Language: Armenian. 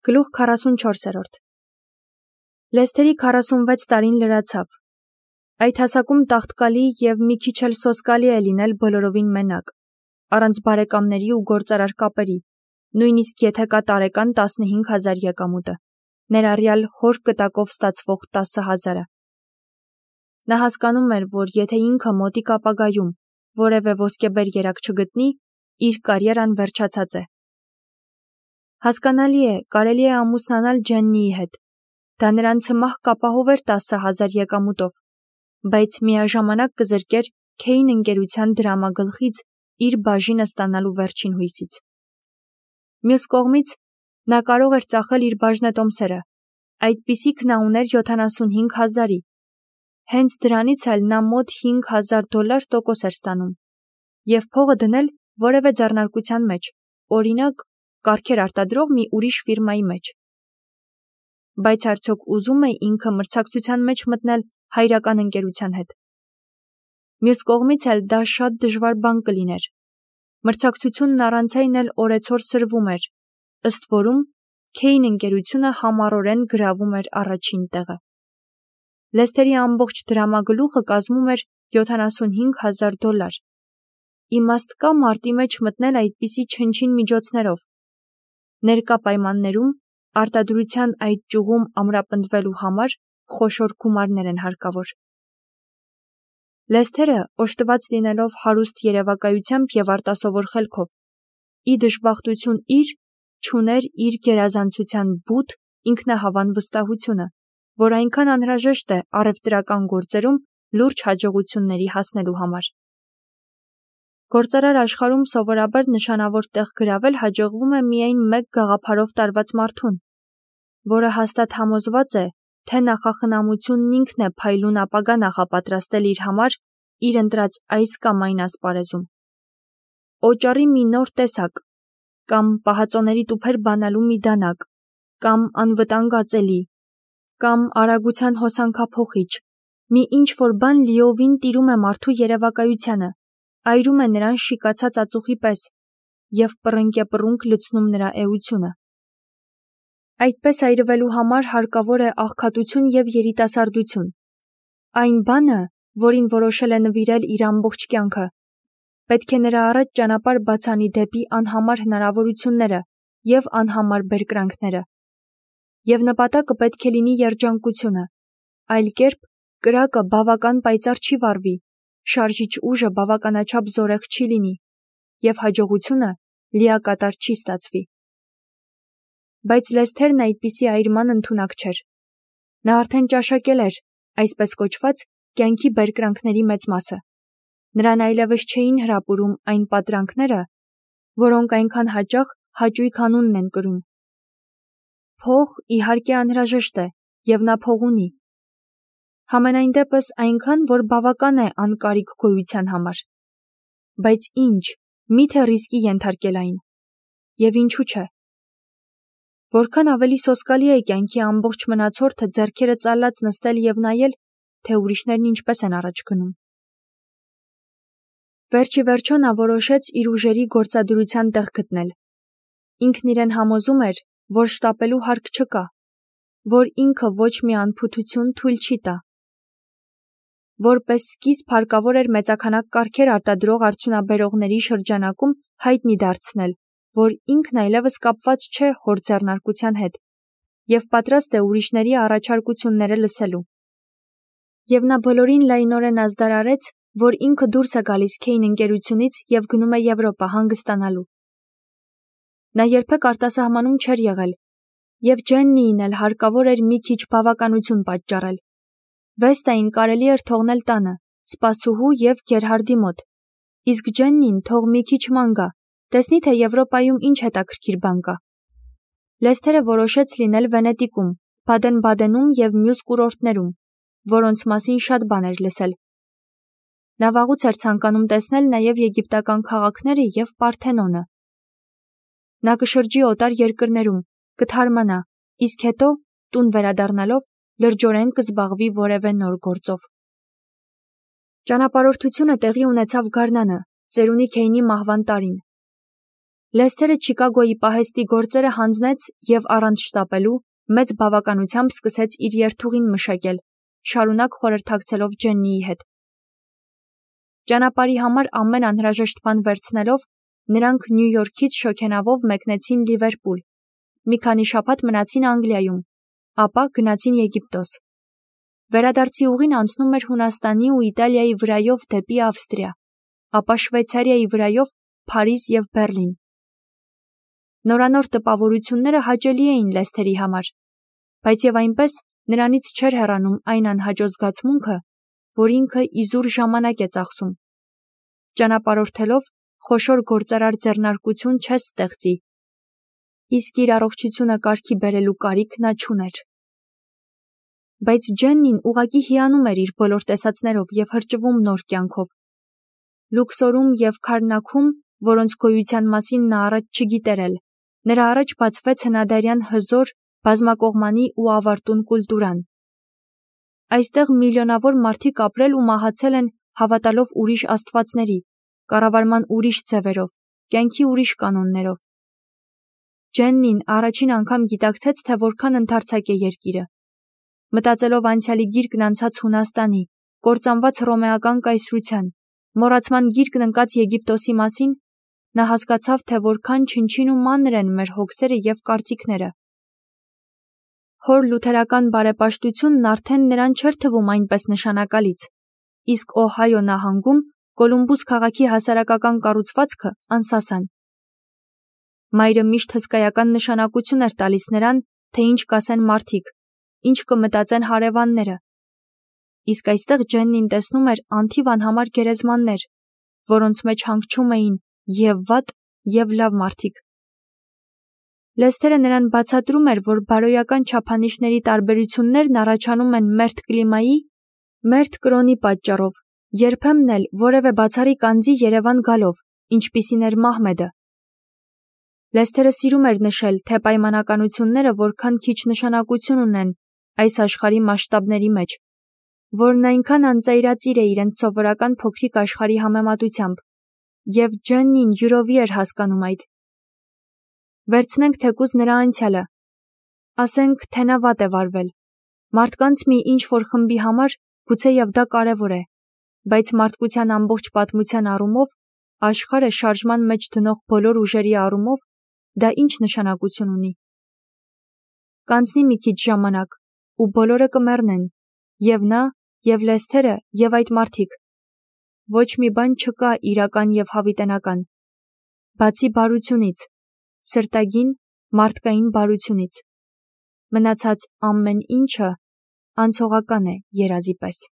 Գլուխ 44. Լեսթերի 46 տարին լրացավ։ Այդ հասակում տաղտկալի և մի քիչ էլ սոսկալի է լինել բոլորովին մենակ, առանց բարեկամների ու գործարար կապերի, նույնիսկ եթե կա տարեկան 15,000 եկամուտը, ներառյալ հոր կտակով ստացվող 10,000-ը։ Նա հասկանում էր, որ եթե ինքը մոտիկ ապագայում որևէ ոսկեբեր երակ չգտնի, իր կարիերան վերջացած է։ Հասկանալի է, կարելի է ամուսնանալ Ջեննիի հետ։ Դա նրան ցմահ կապահով էր 10,000 եկամուտով, բայց միաժամանակ կզրկեր Քեյն ընկերության դրամագլխից իր բաժինը ստանալու վերջին հույսից։ Մյուս կողմից, նա կարող էր ծախել իր բաժնետոմսերը, այդպիսիք նա ուներ 75,000-ի։ Հենց դրանից էլ նա մոտ $5,000 տոկոս էր ստանում, և փողը դնել որևէ ձեռնարկության մեջ, օրինակ, կառքեր արտադրող մի ուրիշ ֆիրմայի մեջ։ Բայց արդյոք ուզում է ինքը մրցակցության մեջ մտնել հայրական ընկերության հետ։ Մյուս կողմից էլ դա շատ դժվար բան կլիներ։ Մրցակցությունն առանց այն էլ օրեցօր սրվում էր, ըստ որում Քեյն ընկերությունը համառորեն գրավում էր առաջին տեղը։ Լեսթերի ամբողջ դրամագլուխը կազմում էր $75,000։ Իմաստ կա մարտի մեջ մտնել այդպիսի չնչին միջոցներով։ Ներկա պայմաններում արտադրության այդ ճյուղում ամրապնդվելու համար խոշոր գումարներ են հարկավոր։ Լեսթերը, օժտված լինելով հարուստ երևակայությամբ և արտասովոր խելքով, ի դժբախտություն իր, չուներ իր գերազանցության բութ ինքնահավան վստահությունը, որ այնքան անհրաժեշտ է առևտրական գործերում լուրջ հաջողությունների հասնելու համար։ Գործարար աշխարհում սովորաբար նշանավոր տեղ գրավել հաջողվում է միայն մեկ գաղափարով տարված մարդուն, որը հաստատ համոզված է, թե նախախնամությունն ինքն է փայլուն ապագա նախապատրաստել իր համար իր ընտրած այս կամ այն ասպարեզում։ Օճառի մի նոր տեսակ, կամ պահածոների տուփեր բանալու մի դանակ, կամ անվտանգ ածելի, կամ արագության հոսանքափոխիչ, մի ինչ-որ բան լիովին տիրում է մարդու երևակայությանը, այրում է նրան շիկացած ածուխի պես և պռնկեպռունկ լցնում նրա էությունը։ Այդպես այրվելու համար հարկավոր է աղքատություն և երիտասարդություն, այն բանը, որին որոշել է նվիրել իր ամբողջ կյանքը, պետք է նրա առաջ ճանապարհ բաց անի դեպի անհամար հնարավորությունները և անհամար բերկրանքները։ Եվ նպատակը պետք է լինի երջանկությունը, այլ կերպ կրակը բավական պայծառ չի վառվի, շարժիչ ուժը բավականաչափ զորեղ չի լինի, և հաջողությունը լիակատար չի ստացվի։ Բայց Լեսթերն այդպիսի այրման ընդունակ չէր։ Նա արդեն ճաշակել էր, այսպես կոչված, կյանքի բերկրանքների մեծ մասը։ Նրան այլևս չէին հրապուրում այն պատրանքները, որոնք այնքան հաճախ հաճույք անունն են կրում։ Փող, իհարկե, անհրաժեշտ է, և նա փող ունի։ Համենայն դեպս այնքան, որ բավական է անկարիք գոյության համար։ Բայց ինչ, միթե ռիսկի ենթարկել այն։ Եվ ինչու՞ չէ։ Որքան ավելի սոսկալի է կյանքի ամբողջ մնացորդը ձեռքերը ծալած նստել և նայել, թե ուրիշներն ինչպես են առաջ գնում։ Վերջիվերջո նա որոշեց իր ուժերի գործադրության տեղ գտնել։ Ինքն իրեն համոզում էր, որ շտապելու հարկ չկա, որ ինքը ոչ մի անփութություն թույլ չի տա։ Որպես սկիզբ հարկավոր էր մեծաքանակ կառքեր արտադրող արդյունաբերողների շրջանակում հայտնի դարձնել, որ ինքն այլևս կապված չէ հոր ձեռնարկության հետ և պատրաստ է ուրիշների առաջարկությունները լսելու։ Եվ նա բոլորին լայնորեն ազդարարեց, որ ինքը դուրս է գալիս Քեյն ընկերությունից և գնում է Եվրոպա հանգստանալու։ Նա երբեք արտասահմանում չէր եղել, և Ջեննիին էլ հարկավոր էր մի քիչ բավականություն պատճառել։ Վեստային կարելի էր թողնել տանը, սպասուհու և Գերհարդի մոտ, իսկ Ջեննին թող մի քիչ ման գա, տեսնի, թե Եվրոպայում ինչ հետաքրքիր բան կա։ Լեսթերը որոշեց լինել Վենետիկում, Բադեն-Բադենում և մյուս կուրորտներում, որոնց մասին շատ բան էր լսել։ Նա վաղուց էր ցանկանում տեսնել նաև եգիպտական քաղաքները և Պարթենոնը։ Նա կշրջի օտար երկրներում, կթարմանա, իսկ հետո, տուն վերադառնալով, լրջորեն կզբաղվի որևէ նոր գործով։ Ճանապարհորդությունը տեղի ունեցավ գարնանը, ծերունի Քեյնի մահվան տարին։ Լեսթերը Չիկագոյի պահեստի գործերը հանձնեց և առանց շտապելու մեծ բավականությամբ սկսեց իր երթուղին մշակել, շարունակ խորհրդակցելով Ջեննիի հետ։ Ճանապարհի համար ամեն անհրաժեշտ բան վերցնելով, նրանք Նյու Յորքից շոգենավով մեկնեցին Լիվերպուլ, մի քանի շաբաթ մնացին Անգլիայում, ապա գնացին Եգիպտոս։ Վերադարձի ուղին անցնում էր Հունաստանի ու Իտալիայի վրայով դեպի Ավստրիա, ապա Շվեյցարիայի վրայով Փարիզ և Բեռլին։ Նորանոր տպավորությունները հաճելի էին Լեսթերի համար, բայց և այնպես նրանից չէր հեռանում այն անհաջող զգացմունքը, որ ինքը իզուր ժամանակ է ծախսում։ Ճանապարհորդելով խոշոր գործարար ձեռնարկություն չես ստեղծի, իսկ իր առողջությունը կարգի բերելու կարիք նա չուներ։ Բայց Ջեննին ուղղակի հիանում էր իր բոլոր տեսածներով և հրճվում նոր կյանքով։ Լուքսորում և Քարնաքում, որոնց գոյության մասին նա առաջ չգիտեր էլ, նրա առաջ բացվեց հնադարյան հզոր, բազմակողմանի ու ավարտուն կուլտուրան։ Այստեղ միլիոնավոր մարդիկ ապրել ու մահացել են հավատալով ուրիշ աստվածների, կառավարման ուրիշ ձևերով, կյանքի ուրիշ կանոններով։ Ջեննին առաջին անգամ գիտակցեց, թե որքան ընդարձակ է երկիրը։ Մտածելով անցյալի գիրկն անցած Հունաստանի, կործանված հռոմեական կայսրության, մոռացման գիրկն ընկած Եգիպտոսի մասին, նա հասկացավ, թե որքան չնչին ու մանր են մեր հոգսերը և կարծիքները։ Հոր լութերական բարեպաշտությունն արդեն նրան չէր թվում այնպես նշանակալից, իսկ Օհայո նահանգում Կոլումբուս քաղաքի հասարակական կառուցվածքը անսասան։ Մայրը միշտ հսկայական նշանակություն էր տալիս նրան, թե ինչ կասեն մարդիկ, ինչ կմտածեն հարևանները։ Իսկ այստեղ Ջեննին տեսնում էր անթիվ անհամար գերեզմաններ, որոնց մեջ հանգչում էին և վատ, և լավ մարդիկ։ Լեսթերը նրան բացատրում էր, որ բարոյական չափանիշների տարբերություններն առաջանում են մերթ կլիմայի, մերթ կրոնի պատճառով, երբեմն էլ որևէ բացառիկ անձի երևան գալով, ինչպիսին էր Մահմեդը։ Լեսթերը սիրում էր նշել, թե պայմանականությունները որքան քիչ նշանակություն ունեն այս աշխարհի մասշտաբների մեջ, որն այնքան անծայրածիր է իրենց սովորական փոքրիկ աշխարհի համեմատությամբ, և Ջեննին յուրովի էր հասկանում այդ։ Վերցնենք թեկուզ նրա անցյալը։ Ասենք, թե նա վատ է վարվել։ Մարդկանց մի ինչ-որ խմբի համար գուցեև դա կարևոր է, բայց մարդկության ամբողջ պատմության առումով, աշխարհը շարժման մեջ դնող բոլոր ուժերի առումով, դա ինչ նշանակություն ունի։ Կանցնի մի քիչ ժամանակ, ու բոլորը կմեռնեն, և նա, և Լեսթերը, և այդ մարդիկ։ Ոչ մի բան չկա իրական և հավիտենական, բացի բարությունից, սրտագին, մարդկային բարությունից։ Մնացած ամեն ինչը անցողական է երազի պես։